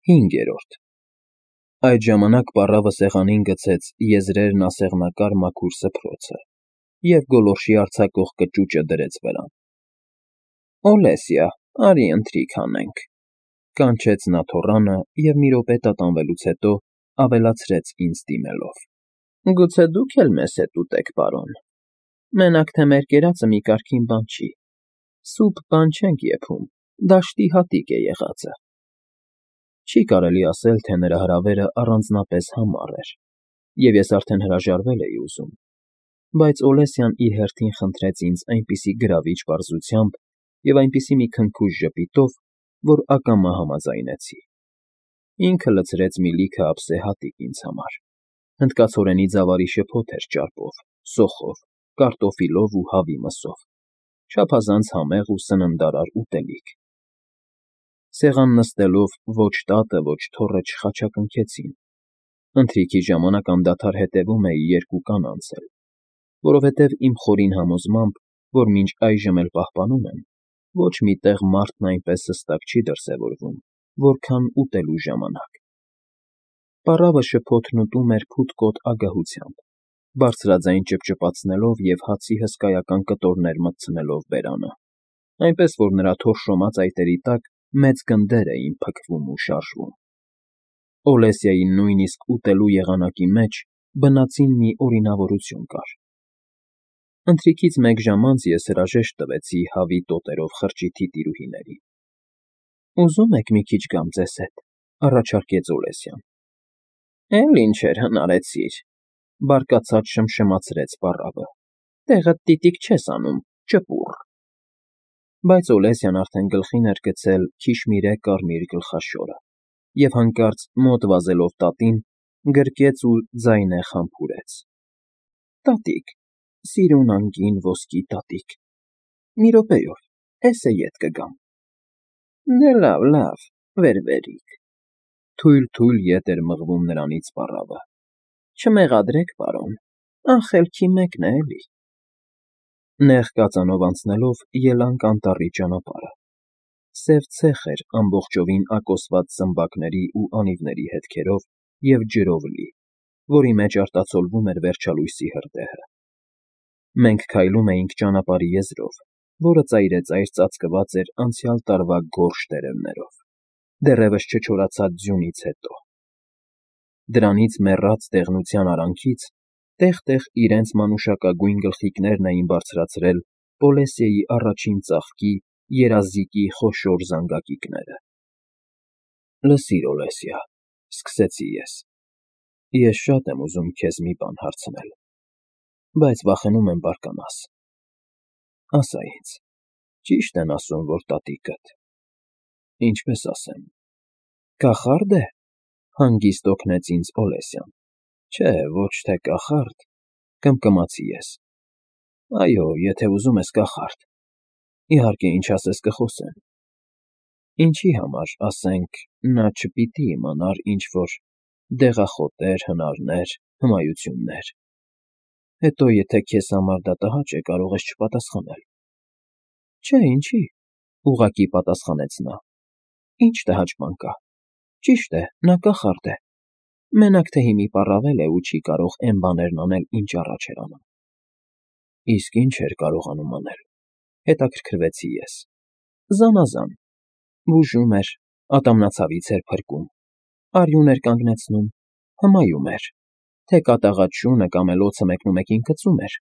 5-րդ Այդ ժամանակ պառավը սեղանին գցեց եզրերն ասեղնակար մաքուր սփռոցը և գոլորշի արձակող կճուճը դրեց վրան։ ֊ Օլեսիա, արի ընթրիք անենք,֊ կանչեց նա թոռանը և մի րոպե տատանվելուց հետո ավելացրեց ինձ դիմելով,֊ Գուցե դուք էլ մեզ հետ ուտեք, պարոն, մենակ թե մեր կերածը մի կարգին բան չի, սուփ բան չենք եփում, դաշտի հատիկ է եղածը… Չի կարելի ասել, թե նրա հրավերը առանձնապես համառ էր, և ես արդեն հրաժարվել էի ուզում, բայց Օլեսյան իր հերթին խնդրեց ինձ այնպիսի գրավիչ պարզությամբ և այնպիսի մի քնքուշ ժպիտով, որ ակամա համաձայնեցի. ինքը լցրեց մի լիքը ափսե հատիկ ինձ համար, հնդկացորենի ծավալի շփոթ էր ճարպով, սոխով, կարտոֆիլով ու հավի մսով, չափազանց համեղ ու սննդարար ուտելիք… Սեղան նստելով ոչ տատը, ոչ թոռը չխաչակնքեցին, ընթրիքի ժամանակ անդադար հետևում էի երկու կանանց էլ, որովհետև իմ խորին համոզմամբ, որ մինչ այժմ էլ պահպանում եմ, ոչ մի տեղ մարդն այնպես հստակ չի դրսևորվում, որքան ուտելու ժամանակ… Պառավը շփոթն ուտում էր փութկոտ ագահությամբ, բարձրաձայն ճպճպացնելով և հացի հսկայական կտորներ մտցնելով բերանը, այնպես որ նրա թորշոմած այտերի տակ մեծ գնդեր էին փքվում ու շարժվում… Օլեսիայի նույնիսկ ուտելու եղանակի մեջ բնածին մի օրինավորություն կար… Ընթրիքից մեկ ժամ անց ես հրաժեշտ տվեցի հավի տոտերով խրճիթի տիրուհիներին։ ֊ Ուզում եք մի քիչ գամ ձեզ հետ,֊ առաջարկեց Օլեսյան։ ֊ Էլ ինչեր հնարեցիր,֊ բարկացած շմշմացրեց պառավը,֊ տեղդ տիտիկ չես անում, ճպուռ… Բայց Օլեսյան արդեն գլխին էր գցել քիշմիրե կարմիր գլխաշորը և հանկարծ մոտ վազելով տատին, գրկեց ու ձայնեղ համբուրեց. Տատիկ, սիրուն անգին ոսկի տատիկ, մի րոպեով, էս է ետ կգամ… Դե լավ, լավ, վեր֊վերիկ,֊ թույլ֊թույլ ետ էր մղվում նրանից պառավը,֊ չմեղադրեք, պարոն, անխելքի մեկն է էլի… Նեղ կածանով անցնելով ելանք անտառի ճանապարհը… Սև ցեխ էր ամբողջովին ակոսված զմբակների ու անիվների հետքերով և ջրով լի, որի մեջ արտացոլվում էր վերջալույսի հրդեհը… Մենք քայլում էինք ճանապարհի եզրով, որը ծայրեծայր ծածկված էր անցյալ տարվա գորշ տերևներով, դեռևս չչորացած ձյունից հետո… Դրանից մեռած դեղնության արանքից տեղ֊տեղ իրենց մանուշակագույն գլխիկներն էին բարձրացրել Պոլեսիայի առաջին ծաղկի երազիկի խոշոր զանգակիկները… ֊ Լսիր, Օլեսիա,֊ սկսեցի ես,֊ ես շատ եմ ուզում քեզ մի բան հարցնել, բայց վախենում եմ բարկանաս… Ասա ինձ, ճի՞շտ են ասում, որ տատիկդ… Ինչպես ասեմ… կախա՞րդ է,֊ հանգիստ օգնեց ինձ Օլեսյան։ ֊ Չէ, ոչ թե կախարդ,֊ կմկմացի ես։ ֊ Այո, եթե ուզում ես կախարդ, իհարկե, ինչ ասես կխոսեմ… Ինչի համար, ասենք, նա չպիտի իմանար ինչ֊որ դեղախոտեր, հնարներ, հմայություններ… Հետո եթե քեզ համար դա տհաճ է, կարող ես չպատասխանել… Չէ, ինչի,֊ ուղղակի պատասխանեց նա,֊ ինչ տհաճ բան կա… Ճիշտ է, նա կախարդ է, մենակ թե հիմի պառավել է ու չի կարող էն բաներն անել, ինչ առաջ էր անում… Իսկ ի՞նչ էր կարողանում անել,֊ հետաքրքրվեցի ես։ ֊ Զանազան… Բուժում էր, ատամնացավից էր փրկում, արյուն էր կանգնեցնում, հմայում էր, թե կատաղած շունը կամ էլ օձը մեկնումեկին գցում էր,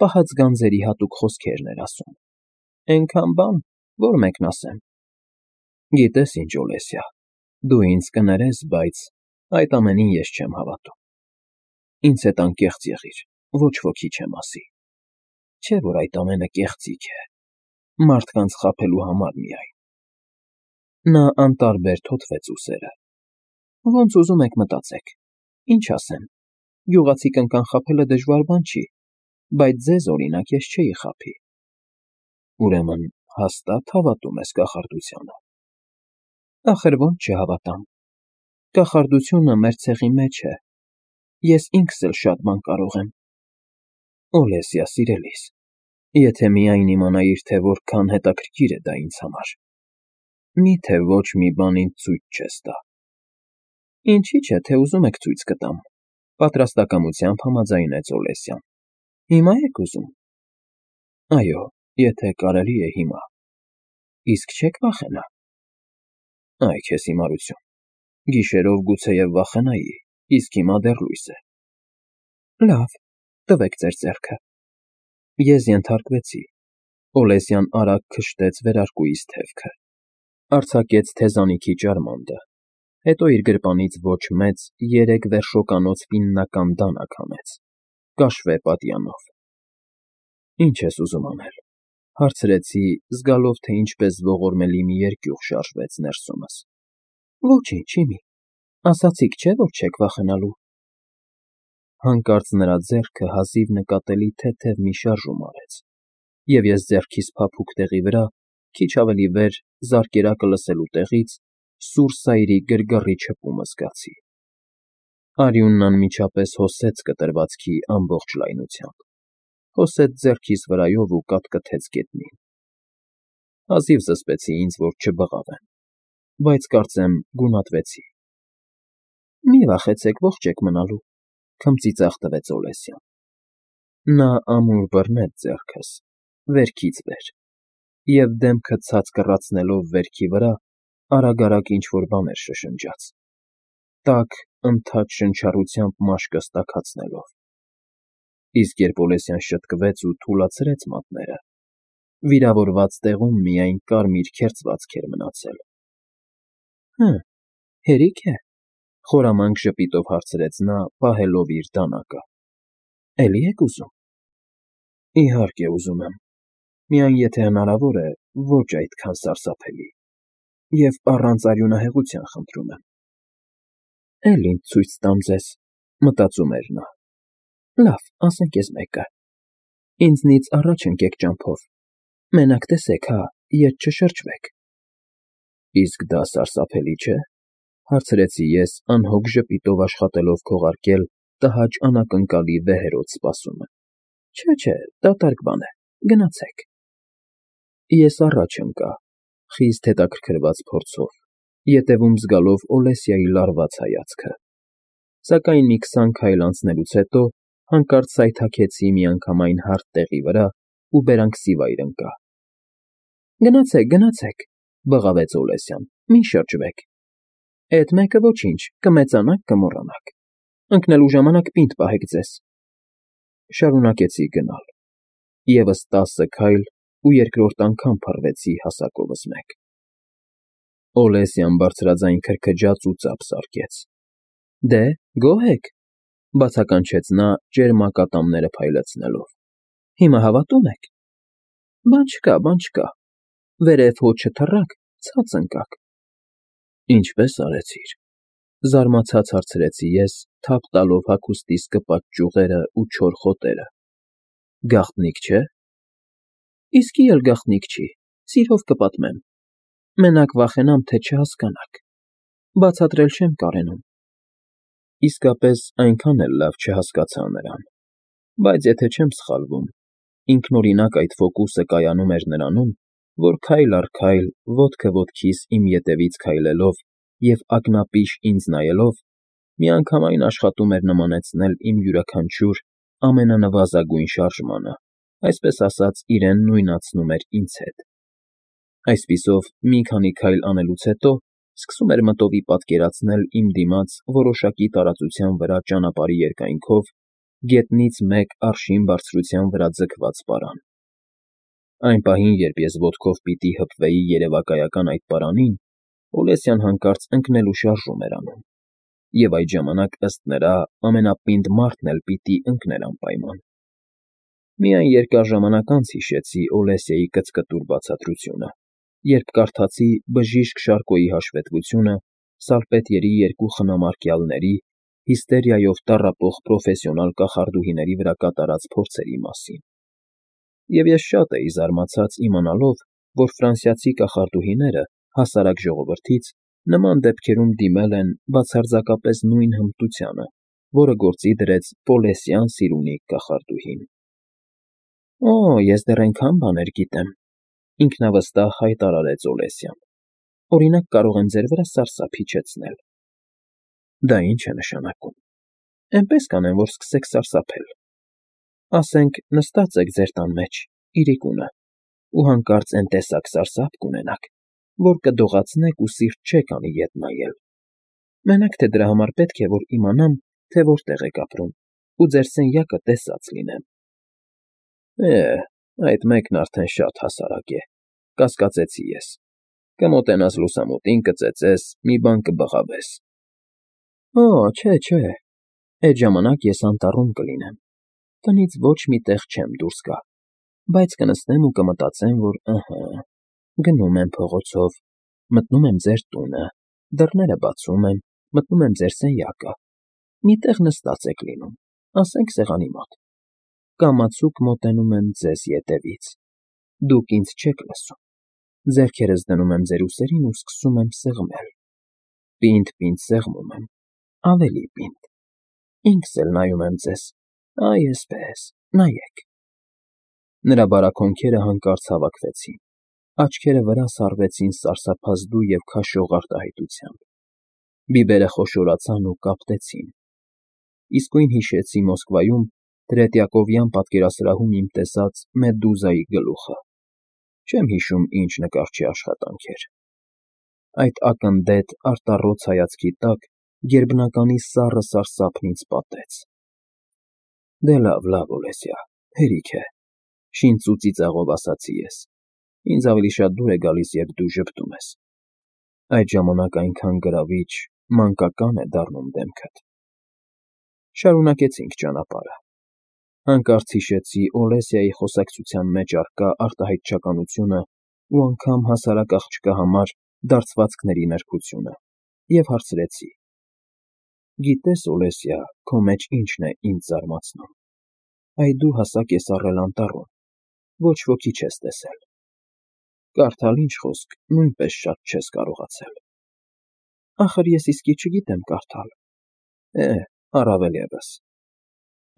պահած գանձերի հատուկ խոսքերն էր ասում… Էնքան բան, որ մեկն ասեմ… Գիտես ինչ, Օլեսիա, դու ինձ կներես, բայց այդ ամենին ես չեմ հավատում… Ինձ հետ անկեղծ եղիր, ոչ ոքի չեմ ասի… Չէ՞ որ այդ ամենը կեղծիք է, մարդկանց խաբելու համար միայն… Նա անտարբեր թոթվեց ուսերը… Ոնց ուզում եք մտածեք, ինչ ասեմ, գյուղացի կնկան խաբելը դժվար բան չի, բայց ձեզ, օրինակ, ես չէի խաբի… Ուրեմն հաստա՞տ հավատում ես կախարդությանը… Ախր ո՞նց չհավատամ… Կախարդությունը մեր ցեղի մեջ է, ես ինքս էլ շատ բան կարող եմ… Օլեսիա, սիրելիս, եթե միայն իմանայիր, թե որքան հետաքրքիր է դա ինձ համար… Մի՞թե ոչ մի բան ինձ ցույց չես տա… Ինչի՞ չէ, թե ուզում եք ցույց կտամ, պատրաստակամությամբ համաձայնեց Օլեսյան։ Հիմա եք ուզում։ Այո, եթե կարելի է հիմա։ Իսկ չեք վախենա։ Այ քեզ հիմարություն։ Գիշերով գուցեև վախենայի, իսկ հիմա դեռ լույս է։ Լավ, տվեք ձեր ձեռքը։ Ես ենթարկվեցի։ Օլեսյան արագ քշտեց վերարկուից թևքը, արձակեց թեզանիքի ճարմանտը, հետո իր գրպանից ոչ մեծ 3 վերշոկանոց ֆիննական դանակ հանեց, կաշվե պատյանով։ Ինչ ես ուզում անել, հարցրեցի, զգալով, թե ինչպես ողորմելի մի երկյուղ շարժվեց ներսումս։ Ոչինչ, իմի, ասացիք չէ, որ չեք վախենալու։ Հանկարծ նրա ձեռքը հազիվ նկատելի թեթև մի շարժում արեց, և ես ձեռքիս փափուկ տեղի վրա, քիչ ավելի վեր, զարկերակը լսելու տեղից, սուր սայրի գրգռի չպումը զգացի։ Արյունն անմիջապես հոսեց կտրվածքի ամբողջ լայնությամբ, հոսեց ձեռքիս վրայով ու կատկթեց գետնին։ Հազիվ զսպեցի ինձ, որ չբղավեմ, բայց կարծեմ գունատվեցի։ Մի վախեցեք, ողջ եք մնալու, քմծիծաղ տվեց Օլեսյան։ Նա ամուր բռնեց ձեռքս, վերքից վեր, և դեմքը ցած կռացնելով վերքի վրա, արագ ինչ-որ բաներ շշնջաց, տաք, ընդհատ շնչառությամբ մաշկս տաքացնելով։ Իսկ երբ Օլեսյան շտկվեց ու թուլացրեց մատները, վիրավորված տեղում միայն կարմիր քերծվածք էր մնացել։ Հերիք է, խորամանկ ժպիտով հարցրեց նա, պահելով իր դանակը։ Էլի եք ուզում։ Իհարկե ուզում եմ, միայն եթե հնարավոր է, ոչ այդքան սարսափելի, և առանց արյունահեղության խնդրում եմ։ Էլ ինձ ցույց տամ ձեզ, մտածում էր նա։ Լավ, ասենք էս մեկը։ Ինձնից առաջ ընկեք ճամփով, մենակ տեսեք, հա, ետ չշրջվեք։ Իսկ դա սարսափելի չէ, հարցրեցի ես, անհոգ ժպիտով աշխատելով քողարկել տհաճ անակնկալի վեհերոտ սպասումը։ Չէ, դատարկ բան է, գնացեք։ Ես առաջ ընկա, խիստ հետաքրքրված փորձով, ետևում զգալով Օլեսիայի լարված հայացքը, սակայն մի 20 քայլ անցնելուց հետո հանկարծ սայթաքեցի միանգամայն հարթ տեղի վրա ու բերանքսի վայր ընկա։ Գնացեք, բղավեց Օլեսյան, մի շրջվեք։ Էդ մեկը ոչինչ, կմեծանաք, կմոռանաք։ Ընկնելու ժամանակ պինդ պահեք ձեզ։ Շարունակեցի գնալ։ Եվս 10 քայլ ու երկրորդ անգամ փռվեցի հասակովս մեկ։ Օլեսյան բարձրաձայն քրքջաց ու ծափ զարկեց։ Դե, գոհ եք, բացականչեց նա, ճերմակատամները փայլեցնելով։ Հիմա հավատո՞ւմ եք։ Բան չկա, վերև հո չթռաք, ցած ընկաք։ Ինչպե՞ս արեցիր։ Զարմացած հարցրեցի ես, թափ տալով հագուստիս կպած ճյուղերը ու չոր խոտերը։ Գաղտնիք չէ։ Իսկի էլ գաղտնիք չի, սիրով կպատմեմ։ Մենակ վախենամ, թե չհասկանաք։ Բացատրել չեմ կարենում։ Իսկապես այնքան էլ լավ չհասկացա նրան, բայց եթե չեմ սխալվում, ինքնօրինակ այդ ֆոկուսը կայանում էր նրանում, որ քայլ առ քայլ, ոտքը ոտքիս իմ ետևից քայլելով և ակնապիշ ինձ նայելով, միանգամայն աշխատում էր նմանեցնել իմ յուրաքանչյուր ամենանվազագույն շարժմանը, այսպես ասած, իրեն նույնացնում էր ինձ հետ։ Այսպիսով, մի քանի քայլ անելուց հետո սկսում էր մտովի պատկերացնել իմ դիմաց որոշակի տարածության վրա ճանապարհի երկայնքով գետնից մեկ արշին բարձրության վրա ձգված պարան։ Այն պահին, երբ ես ոտքով պիտի հպվեի երևակայական այդ պարանին, Օլեսյան հանկարծ ընկնելու շարժում էր անում, և այդ ժամանակ, ըստ նրա, ամենապինդ մարդն էլ պիտի ընկներ անպայման։ Միայն երկար ժամանակ անց հիշեցի Օլեսիայի կծկտուր բացատրությունը, երբ կարդացի բժիշկ Շարկոյի հաշվետվությունը սալպետիերի 2 խնամարկյալների հիստերիայով տառապող պրոֆեսիոնալ կախարդուհիների վրա կատարած փորձերի մասին։ Եվ ես շատ էի զարմացած իմանալով, որ ֆրանսիացի կախարդուհիները հասարակ ժողովրդից նման դեպքերում դիմել են բացարձակապես նույն հմտությանը, որը գործի դրեց Պոլեսյան Սիրունի կախարդուհին։ Օ, ես դեռ այնքան բաներ գիտեմ, ինքնավստահ հայտարարեց Օլեսյան։ Օրինակ, կարող եմ ձեր վրա սարսափ իջեցնել։ Դա ինչ է նշանակում։ Էնպես կանեն, որ սկսեք սարսափել։ Ասենք, նստած եք ձեր տան մեջ, իրիկունը, ու հանկարծ էն տեսակ սարսափ կունենաք, որ կդողացնեք ու սիրտ չեք անի ետ նայել։ Մենակ թե դրա համար պետք է, որ իմանամ, թե որտեղ եք ապրում, ու ձեր սենյակը տեսած լինեմ։ Այդ մեկն արդեն շատ հասարակ է, կասկածեցի ես։ Կմոտենաս լուսամուտին, կծեծես, մի բան կբղավես։ Չէ, այդ ժամանակ ես անտառում կլինեմ, տնից ոչ մի տեղ չեմ դուրս գա, բայց կնստեմ ու կմտածեմ, որ գնում եմ փողոցով, մտնում եմ ձեր տունը, դռները բացում եմ, մտնում եմ ձեր սենյակը, մի տեղ նստած եք լինում, ասենք սեղանի մոտ, կամացուկ մոտենում եմ ձեզ ետևից, դուք ինձ չեք լսում, ձեռքերս դնում եմ ձեր ուսերին ու սկսում եմ սեղմել, պինդ սեղմում եմ, ավելի պինդ, ինքս էլ նայում եմ ձեզ, այսպես, նայեք։ Նրա բարակ հոնքերը հանկարծ հավաքվեցին, աչքերը վրաս հառվեցին սարսափազդու և քաշող արտահայտությամբ, բիբերը խոշորացան ու կապտեցին։ Իսկույն հիշեցի Մոսկվայում Տրետյակովյան պատկերասրահում իմ տեսած Մեդուզայի գլուխը, չեմ հիշում ինչ նկարչի աշխատանք էր։ Այդ ակնդետ արտառոց հայացքի տակ գերբնականի սառը սարսափն ինձ պատեց։ Դե լավ, Օլեսյա, հերիք է, շինծու ծիծաղով ասացի ես, ինձ ավելի շատ դուր է գալիս, երբ դու ժպտում ես, այդ ժամանակ այնքան գրավիչ, մանկական է դառնում դեմքդ։ Շարունակեցինք ճանապարհը։ Հանկարծ հիշեցի Օլեսիայի խոսակցության մեջ առկա արտահայտչականությունը ու անգամ հասարակ աղջկա համար դարձվածքների նրբությունը և հարցրեցի. Գիտես, Օլեսիա, քո մեջ ինչն է ինձ զարմացնում։ Այդ դու հասակ ես առել անտառում, ոչ ոքի չես տեսել։ Կարդալ ինչ խոսք, նույնպես շատ չես կարողացել։ Ախր ես իսկի չգիտեմ կարդալ։ Առավել ևս։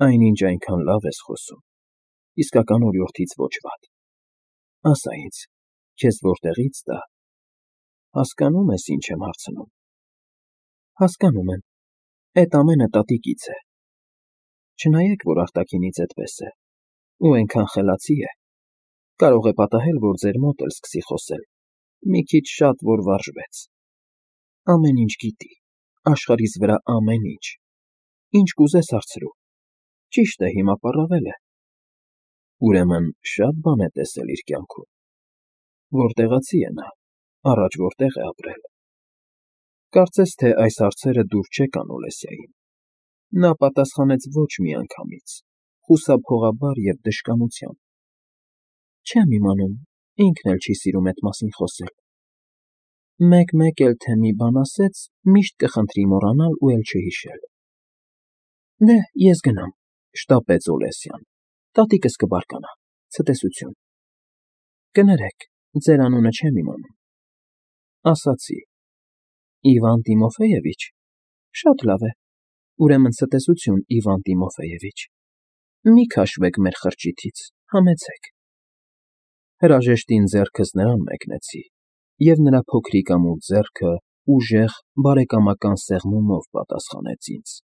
Այնինչ այնքան լավ ես խոսում, իսկական օրիորդից ոչ վատ։ Ասա ինձ, քեզ որտեղից դա։ Հասկանո՞ւմ ես, ինչ եմ հարցնում։ Հասկանում եմ, էդ ամենը տատիկից է։ Չնայեք, որ արտաքինից էդպես է, ու այնքան խելացի է, կարող է պատահել, որ ձեր մոտ էլ սկսի խոսել, մի քիչ շատ որ վարժվեց։ Ամեն ինչ գիտի, աշխարհիս վրա ամեն ինչ, ինչ կուզես հարցրու, ճիշտ է, հիմա պառավել է։ Ուրեմն շատ բան է տեսել իր կյանքում։ Որտեղացի է նա, առաջ որտեղ է ապրել։ Կարծես թե այս հարցերը դուր չեկան Օլեսիային։ Նա պատասխանեց ոչ միանգամից, խուսափողաբար և դժկամությամբ։ Չեմ իմանում, ինքն էլ չի սիրում էդ մասին խոսել։ Մեկ էլ թե մի բան ասեց, միշտ կխնդրի մոռանալ ու էլ չհիշել։ Դե, ես գնամ, շտապեց Օլեսյան, տատիկս կբարկանա, ցտեսություն։ Կներեք, ձեր անունը չեմ իմանում։ Ասացի. Իվան Տիմոֆեևիչ, շատ լավ է, ուրեմն ցտեսություն, Իվան Տիմոֆեևիչ, մի քաշվեք մեր խրճիթից, համեցեք։ Հրաժեշտին ձեռքս նրան մեկնեցի, և նրա փոքրիկ ամուր ձեռքը ուժեղ, բարեկամական սեղմումով պատասխանեց ինձ։